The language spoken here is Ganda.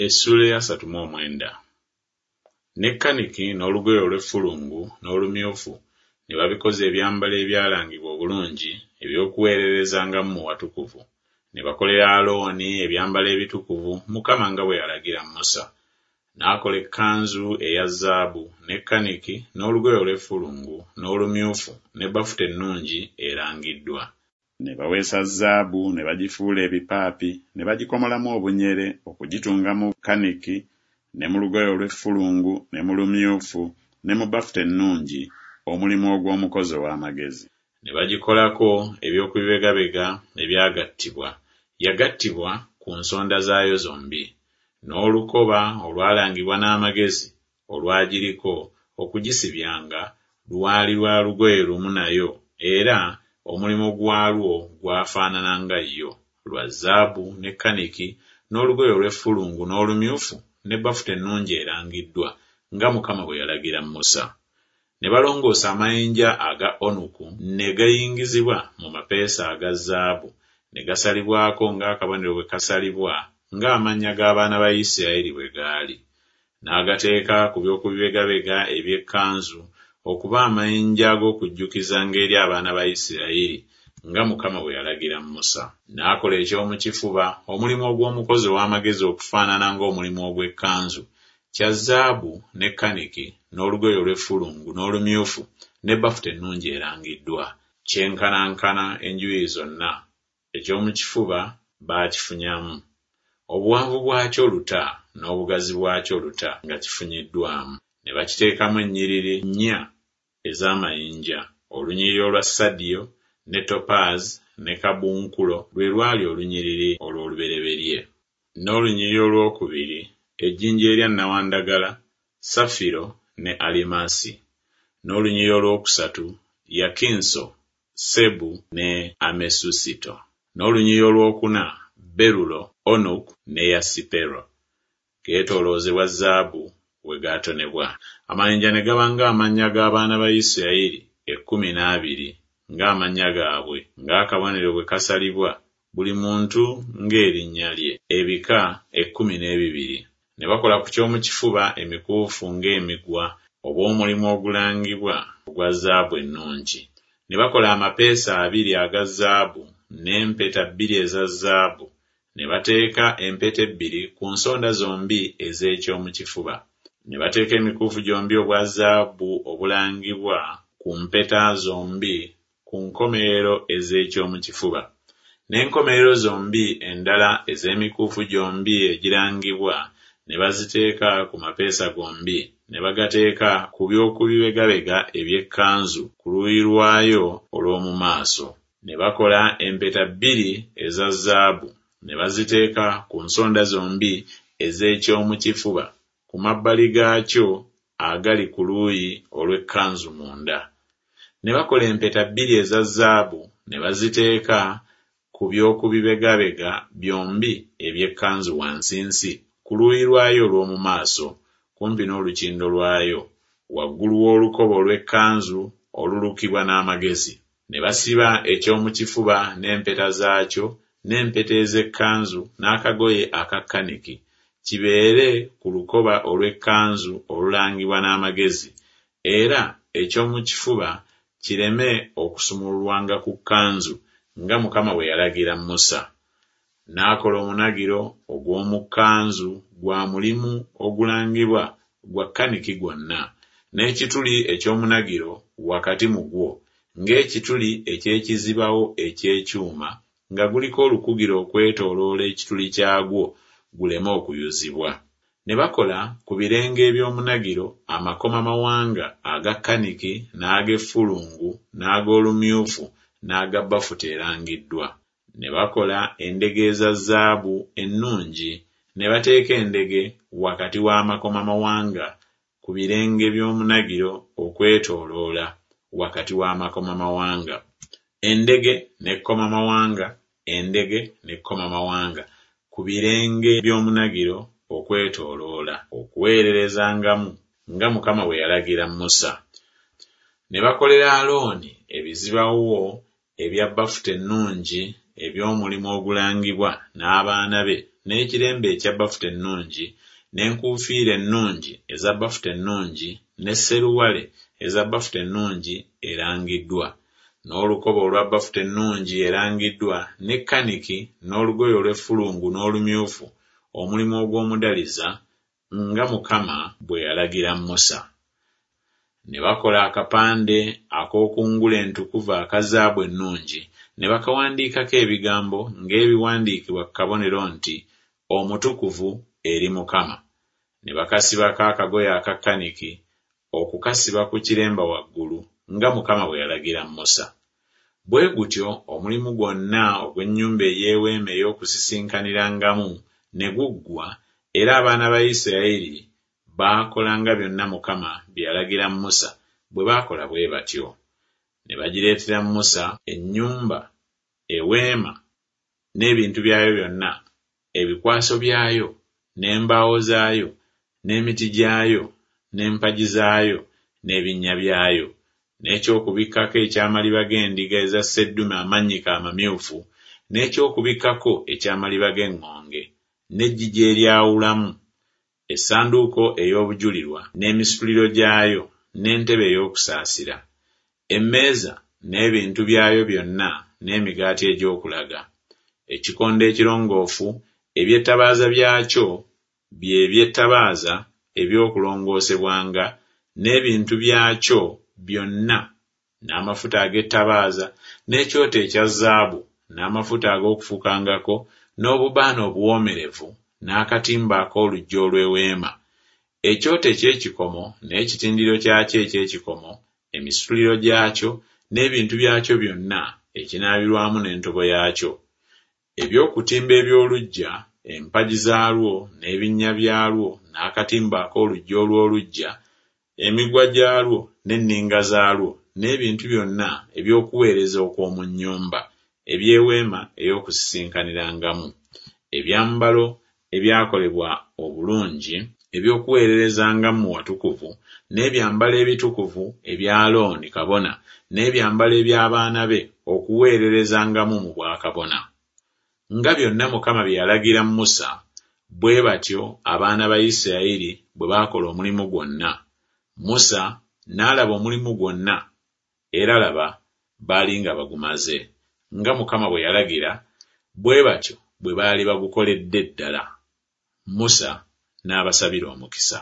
Essuula ey'asatu mu omwenda. Ne kaniki n'olugoye olw'effulungu n'olumyufu ne babikoza ebyambalo ebyalangibwa obulungi eby'okuweererezangamu mu watukuvu. Ne bakolera Alooni ebyambalo ebitukuvu, Mukama nga bwe yalagira Musa. N'akola ekkanzu eya zaabu, ne kaniki, n'olugoye olw'effulungu, n'olumyufu, ne bafuta ennungi erangiddwa. Ne baweesa zaabu ne bagifuula ebipaapi, ne bagikomolamu obunyere okugitunga mu kaniki ne mu lugoye olw'effulungu ne mu lumyufu ne mu bafuta ennungi, omulimu ogw'omukozi ow'amagezi. Ne bagikolako eby'okubibegabega ebyagattibwa, yagattibwa ku nsonda zaayo zombi. N'olukoba olwalangibwa n'amagezi olwagiriko okugisibyanga lwali lwa lugoye lumu nayo, era omulimu gwalwo gwafaanana nga yo, lwa zaabu ne kaniki n'olugoye olw'effulungu n'olumyufu ne bafuta ennungi erangiddwa, nga Mukama bwe yalagira Musa. Ne balongoosa amayinja aga onuku ne gayingizibwa mu mapeesa aga zaabu, ne gasalibwako ng'akabonero bwe kasalibwa, ng'amannya g'abaana ba Isirayiri bwe gaali. N'agateeka ku by'okubibegabega eby'ekkanzu okuba amayinja ag'okujjukizanga eri abaana ba Isirayiri, nga Mukama bwe yalagira Musa. N'akola eky'omu kifuba, omulimu ogw'omukozi ow'amagezi okufaanana ng'omulimu ogw'ekkanzu, kya zaabu ne kaniki n'olugoye olw'effulungu n'olumyufu ne bafuta ennungi erangiddwa, kyenkanankana enjuyi zonna, eky'omu kifuba baakifunyamu, obuwanvu bwakyo luta n'obugazi bwakyo luta nga kifunyiddwamu. Ne bakiteekamu ennyiriri nnya ez'amayinja, olunyiriri olwa sadiyo ne topaazi ne kabunkulo lwe lwali olunyiriri olw'olubereberye. N'olunyiriri olwokubiri ejjinja erya nnawandagala, safiro ne alimasi. N'olunyiriri olwokusatu yakinso, sebu ne amesusito. N'olunyiriri olwokuna berulo, onuku ne yasipero. Geetooloozebwa zaabu we gaatonebwa. Amayinja ne gaba ng'amannya g'abaana ba Isirayiri ekkumi n'abiri, ng'amannya gaabwe, ng'akabonero bwe kasalibwa, buli muntu ng'erinnya lye, ebika ekkumi n'ebibiri. Ne bakola ku ky'omu kifuba emikuufu ng'emigwa, obw'omulimu ogulangibwa ogwa zaabu ennungi. Ne bakola amapeesa abiri aga zaabu n'empeta bbiri eza zaabu, ne bateeka empeta ebbiri ku nsonda zombi ez'eky'omu kifuba. Ne bateeka emikuufu gyombi obwa zaabu obulangibwa ku mpeta zombi ku nkomerero ez'eky'omu kifuba. N'enkomerero zombi endala ez'emikuufu gyombi egirangibwa ne baziteeka ku mapeesa gombi, ne bagateeka ku by'okubibegabega eby'ekkanzu ku luuyi lwayo olw'omu maaso. Ne bakola empeta bbiri eza zaabu, ne baziteeka ku nsonda zombi ez'eky'omu kifuba, ku mabbali gaakyo agali ku luuyi olw'ekkanzu munda. Ne bakola empeta bbiri eza zaabu, ne baziteeka ku by'okubibegabega byombi eby'ekkanzu wansinsi ku luuyi lwayo olw'omu maaso, kumpi n'olukindo lwayo, waggulu w'olukoba olw'ekkanzu olulukibwa n'amagezi. Ne basiba eky'omu kifuba n'empeta zaakyo n'empeta ez'ekkanzu n'akagoye aka kaniki, kibeere ku lukoba olw'ekkanzu olulangibwa n'amagezi, era eky'omu kifuba kireme okusumululwanga ku kkanzu, nga Mukama bwe yalagira Musa. N'akola omunagiro ogw'omu kkanzu gwa mulimu ogulangibwa gwa kaniki gwonna, n'ekituli eky'omunagiro wakati mu gwo, ng'ekituli eky'ekizibawo eky'ekyuma, nga guliko olukugiro okwetooloola ekituli kyagwo guleme okuyuzibwa. Ne bakola ku birenge eby'omunagiro amakomamawanga aga kaniki n'ag'effulungu n'ag'olumyufu n'aga bafuta erangiddwa. Ne bakola endege eza zaabu ennungi, ne bateeka endege wakati w'amakomamawanga ku birenge by'omunagiro okwetooloola, wakati w'amakomamawanga. Endege n'ekkomamawanga, endege n'ekkomamawanga ku birenge by'omunagiro okwetooloola, okuweererezangamu, nga Mukama bwe yalagira Musa. Ne bakolera Alooni ebizibawo ebya bafuta ennungi eby'omulimu ogulangibwa, n'abaana be, n'ekiremba ekya bafuta ennungi, n'enkuufiira ennungi eza bafuta ennungi, ne sseruwale eza bafuta ennungi erangiddwa, n'olukoba olwa bafuta ennungi erangiddwa, ne kaniki, n'olugoye olw'effulungu n'olumyufu, omulimu ogw'omudaliza, nga Mukama bwe yalagira Musa. Ne bakola akapande ak'oku ngule entukuvu aka zaabu ennungi, ne bakawandiikako ebigambo ng'ebiwandiikibwa ku kabonero nti, Omutukuvu eri Mukama. Ne bakasibako akagoye aka kaniki okukasiba ku kiremba waggulu, nga Mukama bwe yalagira Musa. Bwe gutyo omulimu gwonna ogw'ennyumba ey'Eweema ey'Okusisinkanirangamu ne guggwa, era abaana ba Isirayiri baakola nga byonna Mukama bye yalagira Musa bwe baakola bwe batyo. Ne bagireetera Musa ennyumba, eweema, n'ebintu byayo byonna, ebikwaso byayo, n'embaawo zaayo, n'emiti gyayo, n'empagi zaayo, n'ebinnya byayo, n'eky'okubikkako eky'amaliba g'endiga eza sseddume amannyike amamyufu, n'eky'okubikkako eky'amaliba g'eŋŋonge, n'eggigi eryawulamu, essanduuko ey'obujulirwa n'emisituliro gyayo, n'entebe ey'okusaasira, emmeeza n'ebintu byayo byonna n'emigaati egy'okulaga, ekikondo ekirongoofu, eby'ettabaaza byakyo, bye by'ettabaaza eby'okulongoosebwanga, n'ebintu byakyo byonna, n'amafuta ag'ettabaaza, n'ekyoto ekya zaabu, n'amafuta ag'okufukangako, n'obubaane obuwoomerevu, n'akatimba ak'oluggi olw'eweema, ekyoto eky'ekikomo n'ekitindiro kyakyo eky'ekikomo, emisituliro gyakyo, n'ebintu byakyo byonna, ekinaabirwamu n'entobo yaakyo, eby'okutimba eby'oluggya, empagi zaalwo, n'ebinnya byalwo, n'akatimba ak'oluggi olw'oluggya, emigwa gyalwo, n'enninga zaalwo, n'ebintu byonna eby'okuweereza okw'omu nnyumba, eby'eweema ey'okusisinkanirangamu, ebyambalo ebyakolebwa obulungi eby'okuweererezangamu mu watukuvu, n'ebyambalo ebitukuvu ebya Alooni kabona, n'ebyambalo eby'abaana be okuweererezangamu mu bwakabona. Nga byonna Mukama bye yalagira Musa, bwe batyo abaana ba Isirayiri bwe baakola omulimu gwonna. Musa n'alaba omulimu gwonna, era laba, baali nga bagumaze, nga Mukama bwe yalagira, bwe batyo bwe baali bagukoledde ddala. Musa n'abasabira omukisa.